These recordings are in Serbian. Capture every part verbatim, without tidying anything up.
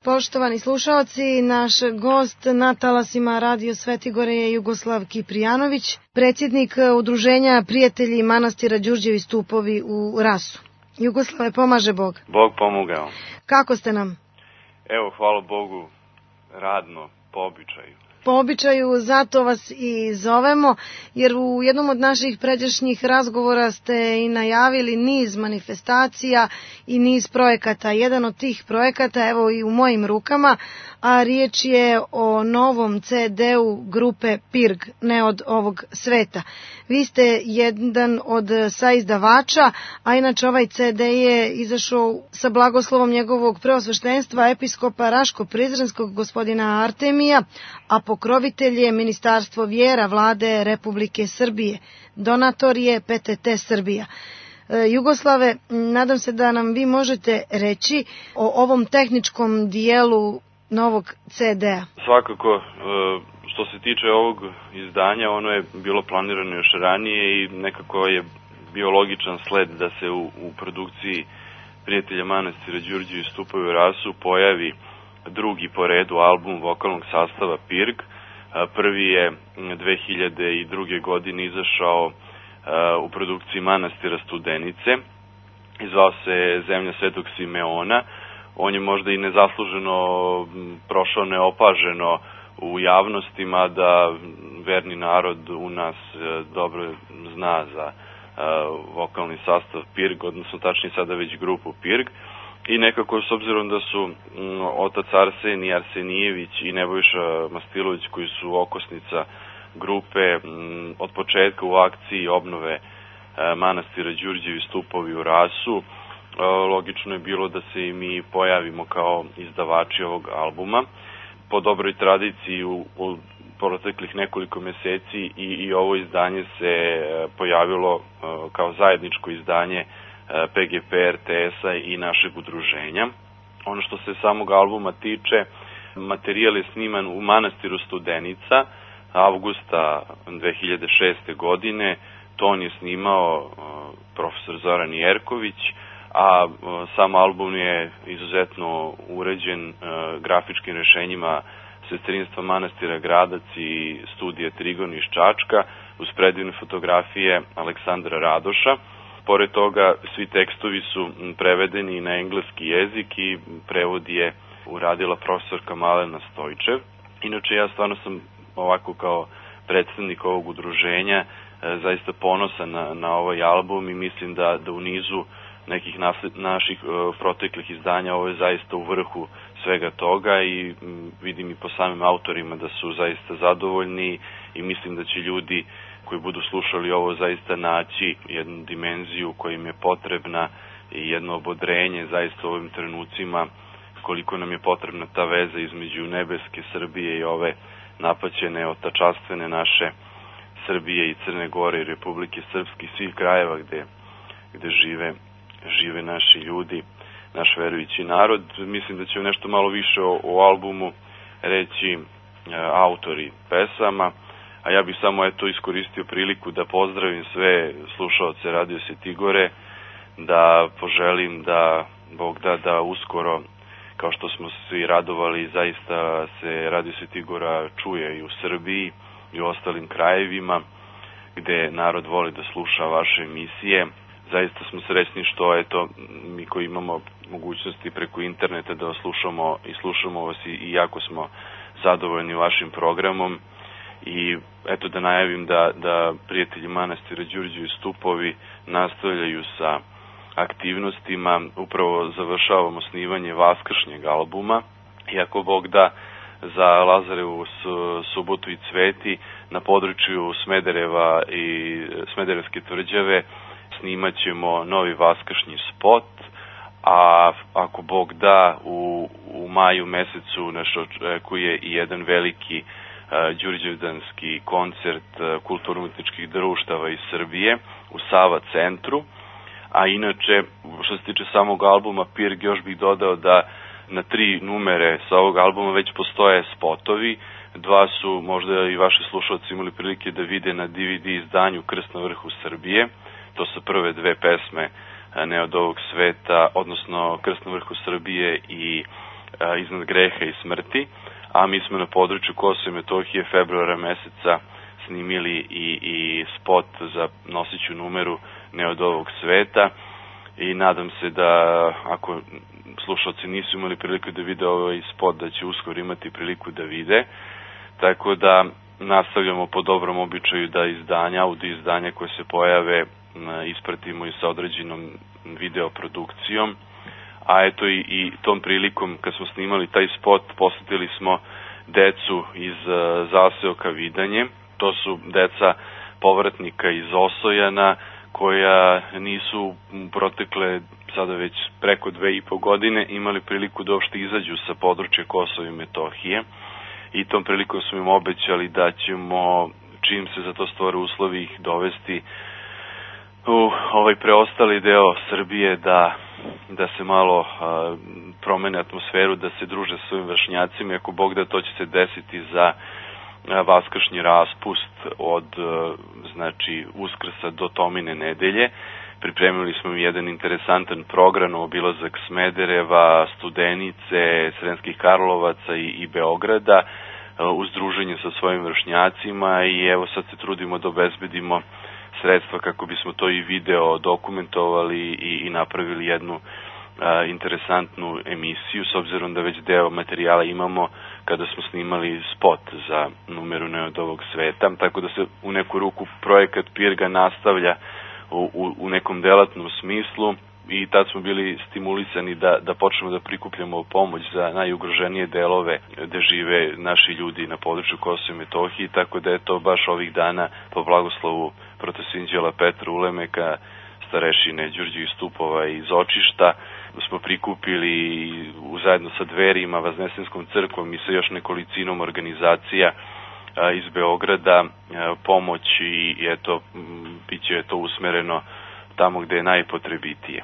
Poštovani slušaoci, naš gost na talasima Radio Svetigore je Jugoslav Kiprijanović, predsjednik Udruženja Prijatelji manastira Đurđevi stupovi u Rasu. Jugoslave, pomaže Bog. Bog pomogao. Kako ste nam? Evo, hvala Bogu, radno, po običaju. Po običaju, zato vas i zovemo, jer u jednom od naših pređašnjih razgovora ste i najavili niz manifestacija i niz projekata. Jedan od tih projekata, evo i u mojim rukama, a riječ je o novom ce de-u grupe Pirg, ne od ovog sveta. Vi ste jedan od saizdavača, a inače ovaj ce de je izašao sa blagoslovom njegovog preosveštenstva episkopa Raško-Prizrenskog gospodina Artemija, a pokrovitelj je Ministarstvo vjera Vlade Republike Srbije. Donator je pe te te Srbija. Jugoslave, nadam se da nam vi možete reći o ovom tehničkom dijelu novog ce de-a. Svakako, što se tiče ovog izdanja, ono je bilo planirano još ranije i nekako je bio logičan sled da se u, u produkciji Prijatelja manastira Đurđevi stupovi u Rasu pojavi drugi po redu album vokalnog sastava Pirg. Prvi je dve hiljade druge. godine izašao u produkciji manastira Studenice i zvao se Zemlja Svetog Simeona. On je možda i nezasluženo prošao neopaženo u javnostima, da verni narod u nas dobro zna za vokalni sastav Pirg, odnosno tačnije sada već grupu Pirg. I nekako, s obzirom da su otac Arsenij Arsenijević i Nebojša Mastilović, koji su okosnica grupe, od početka u akciji obnove manastira Đurđevi stupovi u Rasu, logično je bilo da se i mi pojavimo kao izdavači ovog albuma. Po dobroj tradiciji u, u proteklih nekoliko meseci i, i ovo izdanje se pojavilo kao zajedničko izdanje pe ge pe, er te es-a i našeg udruženja. Ono što se samog albuma tiče, materijal je sniman u manastiru Studenica avgusta dve hiljade šeste. godine. Ton je snimao profesor Zoran Jerković, a sam album je izuzetno uređen grafičkim rešenjima sestrinstva manastira Gradac i studija Trigon iz Čačka, uz predivne fotografije Aleksandra Radoša. Pored toga, svi tekstovi su prevedeni na engleski jezik i prevod je uradila profesorka Malena Stojčev. Inače, ja stvarno sam ovako kao predstavnik ovog udruženja zaista ponosan na, na ovaj album i mislim da, da u nizu nekih nasled, naših uh, proteklih izdanja ovo je zaista u vrhu svega toga i m, vidim i po samim autorima da su zaista zadovoljni i mislim da će ljudi koji budu slušali ovo zaista naći jednu dimenziju koja im je potrebna i jedno obodrenje zaista u ovim trenucima koliko nam je potrebna ta veza između nebeske Srbije i ove napaćene, otačastvene naše Srbije i Crne Gore i Republike Srpske i svih krajeva gde, gde žive žive naši ljudi, naš verujući narod. Mislim da će nešto malo više o, o albumu reći e, autori pesama, a ja bih samo eto iskoristio priliku da pozdravim sve slušaoce Radio Svetigore, da poželim da Bog da da uskoro, kao što smo svi radovali, zaista se Radio Svetigora čuje i u Srbiji i u ostalim krajevima gde narod voli da sluša vaše emisije. Zaista smo srećni što eto mi koji imamo mogućnosti preko interneta da vas slušamo i slušamo vas i, i jako smo zadovoljni vašim programom. I eto da najavim da, da Prijatelji manastira Đurđevi stupovi nastavljaju sa aktivnostima. Upravo završavamo snimanje vaskršnjeg albuma. I ako Bog da, za Lazarevu subotu i Cveti na području Smedereva i Smederevske tvrđave snimat ćemo novi vaskršnji spot, a ako Bog da, u, u maju mesecu nas očekuje i jedan veliki uh, đurđevdanski koncert uh, kulturno-umetničkih društava iz Srbije u Sava centru. A inače, što se tiče samog albuma Pirg, još bih dodao da na tri numere sa ovog albuma već postoje spotovi. Dva su možda i vaši slušalci imali prilike da vide na de ve de izdanju Krst na vrhu Srbije. To su prve dve pesme Ne od ovog sveta, odnosno Krst na vrhu Srbije i iznad greha i smrti, a mi smo na području Kosova i Metohije februara meseca snimili i, i spot za nosiću numeru Ne od ovog sveta i nadam se da ako slušalci nisu imali priliku da vide ovaj spot, da će uskoro imati priliku da vide, tako da nastavljamo po dobrom običaju da izdanja, audio izdanja koje se pojave ispratimo i sa određenom videoprodukcijom, a eto i, i tom prilikom kad smo snimali taj spot posetili smo decu iz zaseoka Vidanje. To su deca povratnika iz Osojana koja nisu protekle sada već preko dve i po godine imali priliku da uopšte izađu sa područja Kosova i Metohije i tom prilikom smo im obećali da ćemo, čim se za to stvore uslovi, ih dovesti u ovaj preostali deo Srbije da, da se malo a, promene atmosferu, da se druže sa svojim vršnjacima i ako Bog da, to će se desiti za vaskršnji raspust od znači Uskrsa do Tomine nedelje. Pripremili smo jedan interesantan program, obilazak Smedereva, Studenice, Sremskih Karlovaca i, i Beograda uz druženje sa svojim vršnjacima i evo sad se trudimo da obezbedimo sredstva kako bismo to i video dokumentovali i, i napravili jednu a, interesantnu emisiju, s obzirom da već deo materijala imamo kada smo snimali spot za numeru Ne od ovog sveta, tako da se u neku ruku projekat Pirga nastavlja u, u, u nekom delatnom smislu i tad smo bili stimulisani da, da počnemo da prikupljamo pomoć za najugroženije delove gde žive naši ljudi na području Kosova i Metohije, tako da je to baš ovih dana po blagoslovu protosinđela Petra Ulemeka, starešine Đurđe Stupova iz Očišta, smo prikupili zajedno sa Dverima, Vaznesinskom crkvom i sa još nekolicinom organizacija a, iz Beograda a, pomoć i eto, bit će to usmereno tamo gde je najpotrebitije.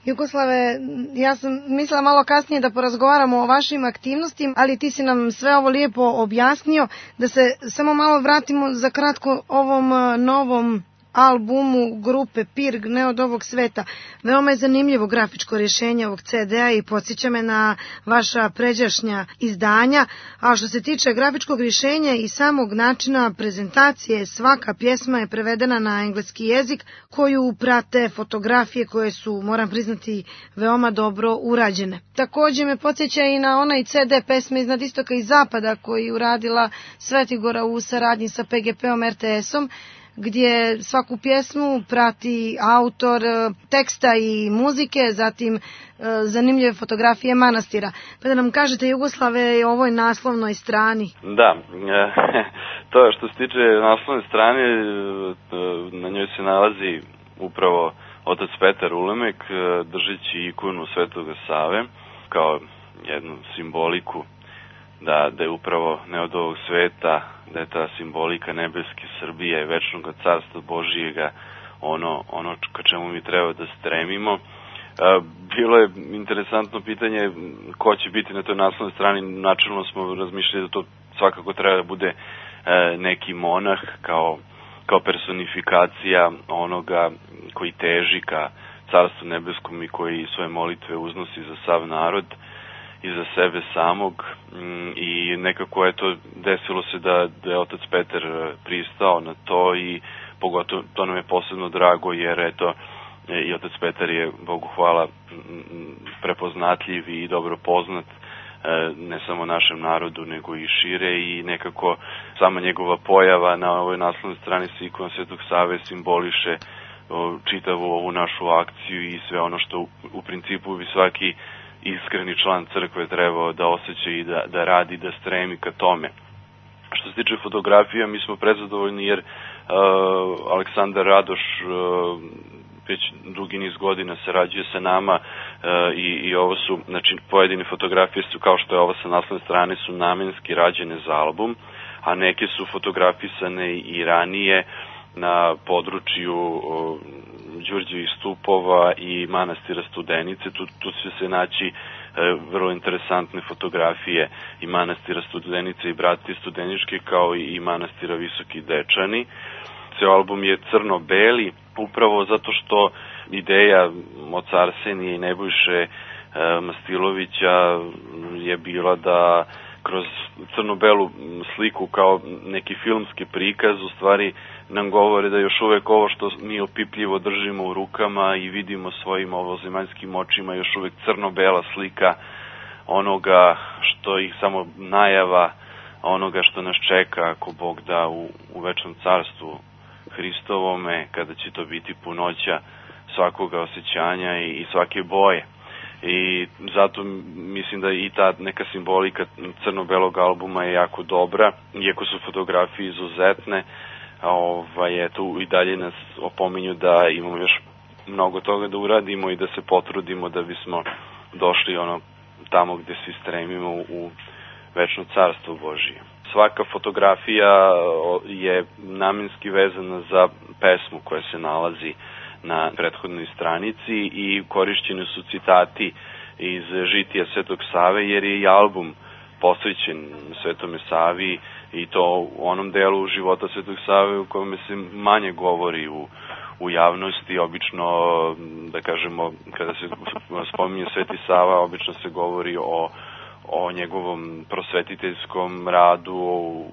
Jugoslave, ja sam mislila malo kasnije da porazgovaramo o vašim aktivnostima, ali ti si nam sve ovo lijepo objasnio, da se samo malo vratimo za kratko ovom novom albumu grupe Pirg Ne od ovog sveta. Veoma je zanimljivo grafičko rješenje ovog ce de-a i podsjeća me na vaša pređašnja izdanja, a što se tiče grafičkog rješenja i samog načina prezentacije, svaka pjesma je prevedena na engleski jezik koju prate fotografije koje su, moram priznati, veoma dobro urađene. Također me podsjeća i na onaj ce de pesme Iznad istoka i zapada koji uradila Svetigora u saradnji sa pe ge pe-om er te es-om, gdje svaku pjesmu prati autor teksta i muzike, zatim zanimljive fotografije manastira. Pa da nam kažete, Jugoslave, o ovoj naslovnoj strani. Da, to je što se tiče naslovne strane, na njoj se nalazi upravo otac Petar Ulemek držeći ikonu Svetoga Save kao jednu simboliku da, da je upravo Ne od ovog sveta, da je ta simbolika nebeske Srbije, večnog carstva Božijega, ono, ono ka čemu mi treba da stremimo. Bilo je interesantno pitanje ko će biti na toj naslovnoj strani. Načelno smo razmišljali da to svakako treba da bude neki monah kao, kao personifikacija onoga koji teži ka carstvu nebeskom i koji svoje molitve uznosi za sav narod i za sebe samog i nekako je to desilo se da, da je otac Petar pristao na to i pogotovo to nam je posebno drago jer eto i otac Petar je, Bogu hvala, prepoznatljiv i dobro poznat ne samo našem narodu nego i šire i nekako sama njegova pojava na ovoj naslovnoj strani sa ikonom Svetog Save simboliše čitavu ovu našu akciju i sve ono što u, u principu bi svaki iskreni član crkve trebao da osjeća i da, da radi, da stremi ka tome. Što se tiče fotografija, mi smo prezadovoljni jer uh, Aleksandar Radoš uh, već dugi niz godina sarađuje sa nama uh, i, i ovo su, znači pojedine fotografije su kao što je ova sa naslovne strane su namenski rađene za album, a neke su fotografisane i ranije na području uh, Đurđevih Stupova i manastira Studenice. Tu, tu će se naći e, vrlo interesantne fotografije i manastira Studenice i Bratije Studeničke kao i, i manastira Visoki Dečani. Ceo album je crno-beli upravo zato što ideja oca Arsenije i Nebojše Mastilovića je bila da kroz crno-belu sliku kao neki filmski prikaz u stvari nam govore da još uvek ovo što mi opipljivo držimo u rukama i vidimo svojim ovozemaljskim očima još uvek crno-bela slika onoga što ih samo najava, onoga što nas čeka ako Bog da u, u večnom carstvu Hristovome, kada će to biti punoća svakoga osjećanja i, i svake boje. I zato mislim da i ta neka simbolika crno-belog albuma je jako dobra, iako su fotografije izuzetne, ovaj, eto, i dalje nas opominju da imamo još mnogo toga da uradimo i da se potrudimo da bismo došli ono tamo gde svi stremimo u večno carstvo Božije. Svaka fotografija je namenski vezana za pesmu koja se nalazi na prethodnoj stranici i korišćeni su citati iz žitija Svetog Save, jer je i album posvećen Svetome Savi i to u onom delu života Svetog Save u kome se manje govori u, u javnosti. Obično, da kažemo, kada se spominje Sveti Sava, obično se govori o o njegovom prosvetiteljskom radu,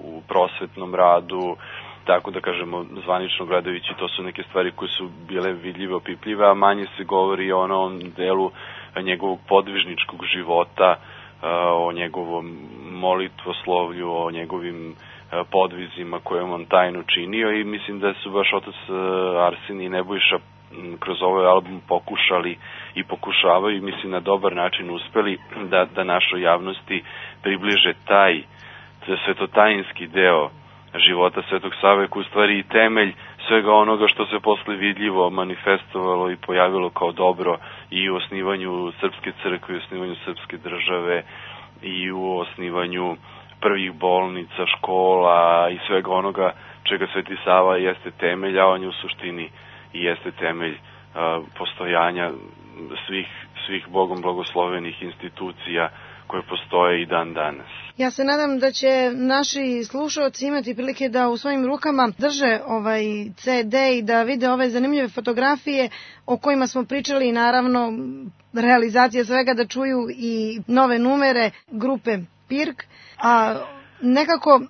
u prosvetnom radu, tako da kažemo, zvanično gledajući, to su neke stvari koje su bile vidljive, opipljive, a manje se govori o onom delu njegovog podvižničkog života, o njegovom molitvoslovlju, o njegovim podvizima koje on tajno činio i mislim da su baš otac Arsenije i Nebojša kroz ovaj album pokušali i pokušavaju, mislim, na dobar način uspeli da, da našoj javnosti približe taj svetotajinski deo života Svetog Save, koji u stvari i temelj svega onoga što se posle vidljivo manifestovalo i pojavilo kao dobro i u osnivanju Srpske crkve, i u osnivanju Srpske države, i u osnivanju prvih bolnica, škola i svega onoga čega Sveti Sava jeste temelj, a on je u suštini i jeste temelj uh, postojanja svih, svih Bogom blagoslovenih institucija koje postoje i dan danas. Ja se nadam da će naši slušalci imati prilike da u svojim rukama drže ovaj ce de i da vide ove zanimljive fotografije o kojima smo pričali i naravno realizacija svega, da čuju i nove numere grupe Pirk, a nekako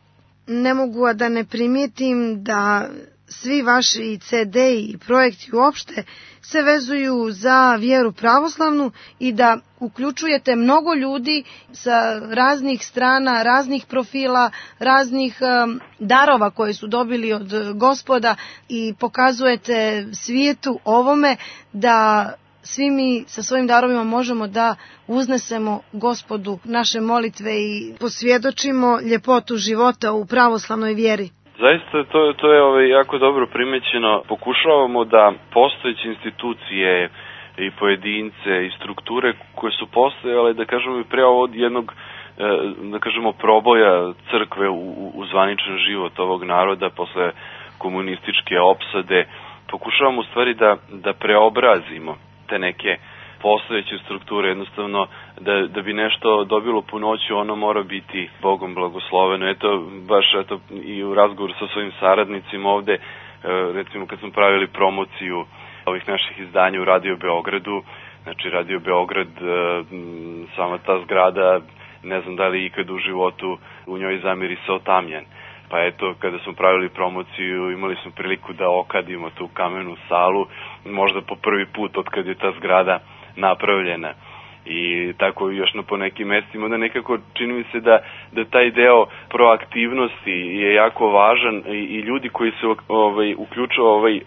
ne mogu a da ne primijetim da svi vaši ce de i projekti uopšte se vezuju za vjeru pravoslavnu i da uključujete mnogo ljudi sa raznih strana, raznih profila, raznih um, darova koje su dobili od Gospoda i pokazujete svijetu ovome da svi mi sa svojim darovima možemo da uznesemo Gospodu naše molitve i posvjedočimo ljepotu života u pravoslavnoj vjeri. Zaista to, to je ovaj, jako dobro primećeno. Pokušavamo da postojeće institucije i pojedince i strukture koje su postojale, da kažemo i pre od jednog, da kažemo, proboja crkve u, u zvaničan život ovog naroda posle komunističke opsade, pokušavamo u stvari da, da preobrazimo te neke postojeće strukture, jednostavno da, da bi nešto dobilo punoću, ono mora biti Bogom blagosloveno. Eto, baš eto, i u razgovoru sa svojim saradnicima ovde, recimo kad smo pravili promociju ovih naših izdanja u Radio Beogradu, znači Radio Beograd, sama ta zgrada, ne znam da li ikad u životu u njoj zamirisao tamjan. Pa eto, kada smo pravili promociju, imali smo priliku da okadimo tu kamenu salu, možda po prvi put od kad je ta zgrada napravljena. I tako još na po nekim mestima, da nekako čini mi se da, da taj deo proaktivnosti je jako važan i, i ljudi koji se ovaj, uključuju ovaj,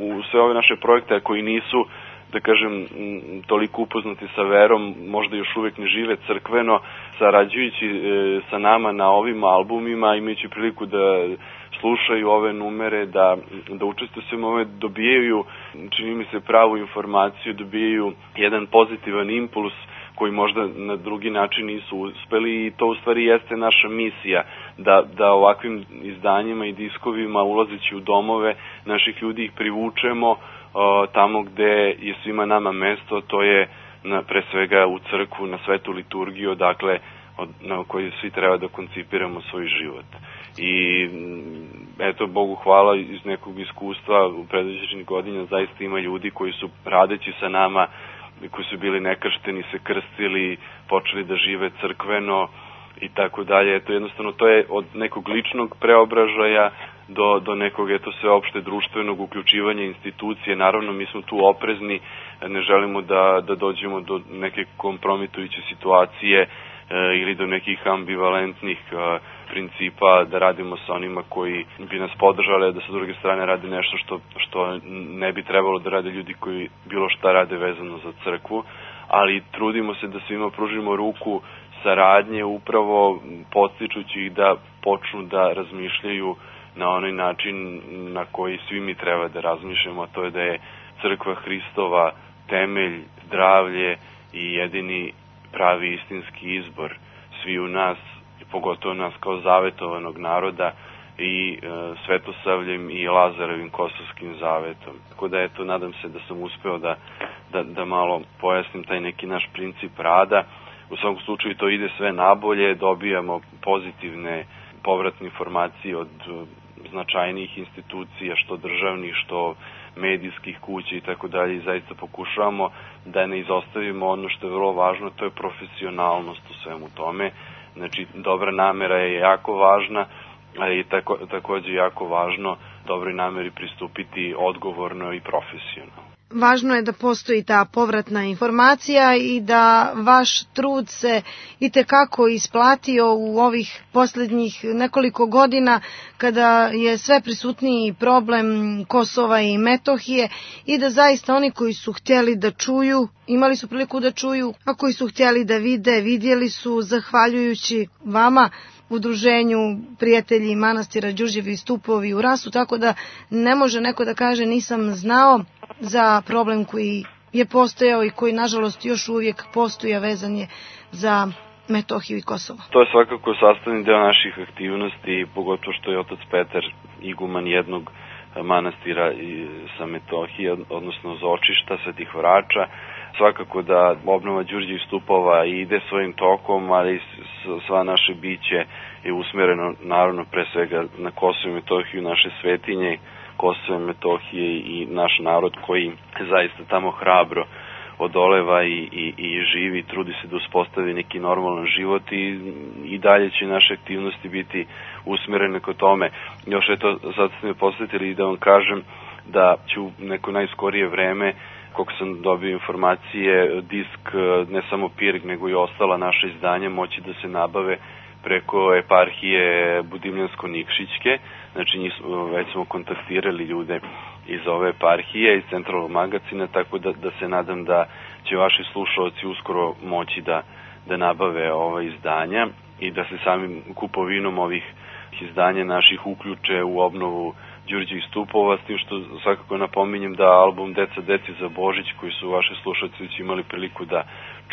u sve ove naše projekte, a koji nisu, da kažem, toliko upoznati sa verom, možda još uvek ne žive crkveno, sarađujući e, sa nama na ovim albumima, imajući priliku da slušaju ove numere, da, da učestvuju svema ove, dobijaju, čini mi se, pravu informaciju, dobijaju jedan pozitivan impuls koji možda na drugi način nisu uspeli, i to u stvari jeste naša misija, da, da ovakvim izdanjima i diskovima, ulazeći u domove naših ljudi, ih privučemo tamo gde je svima nama mesto, to je na, pre svega u crkvu, na svetu liturgiju, dakle od, na kojoj svi treba da koncipiramo svoj život. I eto, Bogu hvala, iz nekog iskustva u predviđenih godina zaista ima ljudi koji su, radeći sa nama koji su bili nekršteni se krstili, počeli da žive crkveno i tako dalje. Eto, jednostavno to je od nekog ličnog preobražaja do, do nekog eto sveopšte društvenog uključivanja institucije. Naravno, mi smo tu oprezni, ne želimo da, da dođemo do neke kompromitujuće situacije e, ili do nekih ambivalentnih e, principa, da radimo sa onima koji bi nas podržali, da sa druge strane radi nešto što, što ne bi trebalo da rade ljudi koji bilo šta rade vezano za crkvu, ali trudimo se da svima pružimo ruku saradnje, upravo podstičući ih da počnu da razmišljaju na onaj način na koji svi mi treba da razmišljamo, a to je da je crkva Hristova temelj, zdravlje i jedini pravi istinski izbor svi u nas, pogotovo nas kao zavetovanog naroda i e, Svetosavljem i Lazarevim kosovskim zavetom. Tako da, eto, nadam se da sam uspeo da, da, da malo pojasnim taj neki naš princip rada. U svakom slučaju to ide sve nabolje, dobijamo pozitivne povratne informacije od značajnijih institucija, što državnih, što medijskih kuća i tako dalje, i zaista pokušavamo da ne izostavimo ono što je vrlo važno, to je profesionalnost u svemu tome. Znači, dobra namera je jako važna, ali je tako, takođe jako važno dobroj nameri pristupiti odgovorno i profesionalno. Važno je da postoji ta povratna informacija i da vaš trud se itekako isplatio u ovih posljednjih nekoliko godina kada je sve prisutniji problem Kosova i Metohije i da zaista oni koji su htjeli da čuju, imali su priliku da čuju, a koji su htjeli da vide, vidjeli su zahvaljujući vama, udruženju prijatelji manastira Đurđevi stupovi u Rasu, tako da ne može neko da kaže nisam znao za problem koji je postojao i koji nažalost još uvijek postoji, a vezan je za Metohiju i Kosovo. To je svakako sastavni deo naših aktivnosti, pogotovo što je otac Petar iguman jednog manastira sa Metohije, odnosno Zočišta, Svetih Vrača. Svakako da obnova Đurđevih stupova ide svojim tokom, ali sva naše biće je usmereno naravno pre svega na Kosovo i Metohiju, naše svetinje, Kosovo i Metohije i naš narod koji zaista tamo hrabro odoleva i, i, i živi, trudi se da uspostavi neki normalan život i, i dalje će naše aktivnosti biti usmerene kod tome. Još eto, sad ste me posvetili da vam kažem da ću neko najskorije vreme, koliko sam dobio informacije, disk, ne samo Pirg, nego i ostala naša izdanja moći da se nabave preko eparhije Budimljansko-Nikšićke. Znači, njih, već smo kontaktirali ljude iz ove eparhije, iz centralnog magazina, tako da, da se nadam da će vaši slušalci uskoro moći da, da nabave ova izdanja i da se samim kupovinom ovih izdanja naših uključe u obnovu Đurđevih stupova, s tim što svakako napominjem da album Deca deci za Božić, koji su vaši slušalci već imali priliku da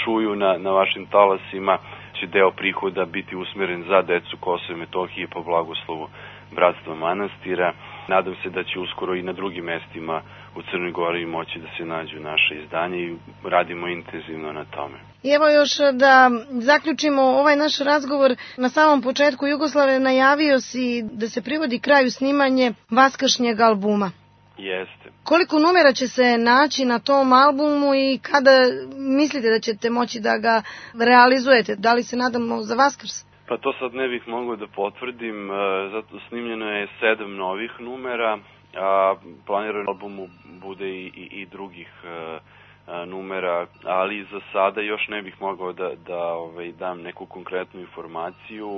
čuju na, na vašim talasima, će deo prihoda biti usmeren za decu Kosova i Metohije po blagoslovu Bratstva manastira. Nadam se da će uskoro i na drugim mestima u Crnoj Gori moći da se nađu naše izdanje i radimo intenzivno na tome. I evo još da zaključimo ovaj naš razgovor. Na samom početku Jugoslave najavio si da se privodi kraju snimanje vaskršnjeg albuma. Jeste. Koliko numera će se naći na tom albumu i kada mislite da ćete moći da ga realizujete? Da li se nadamo za Vaskrs? Pa to sad ne bih mogao da potvrdim, zato snimljeno je sedam novih numera, a planirano albumu bude i, i, i drugih a, numera, ali za sada još ne bih mogao da, da ovaj, dam neku konkretnu informaciju.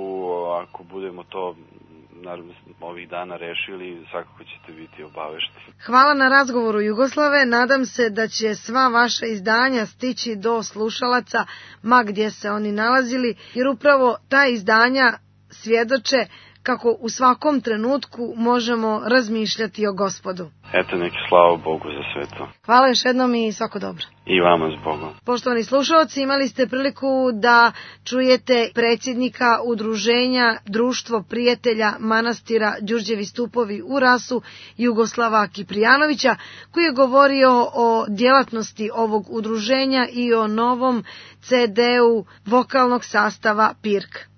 Ako budemo to naravno ovih dana rešili, svakako ćete biti obavešteni. Hvala na razgovoru, Jugoslave. Nadam se da će sva vaša izdanja stići do slušalaca ma gdje se oni nalazili, jer upravo ta izdanja svjedoče kako u svakom trenutku možemo razmišljati o Gospodu. Eto, neki slava Bogu za sve to. Hvala još jednom i svako dobro. I vama s Bogom. Poštovani slušalci, imali ste priliku da čujete predsjednika udruženja Društvo prijatelja manastira Đurđevi stupovi u Rasu, Jugoslava Kiprijanovića, koji je govorio o djelatnosti ovog udruženja i o novom ce de u vokalnog sastava Pirg.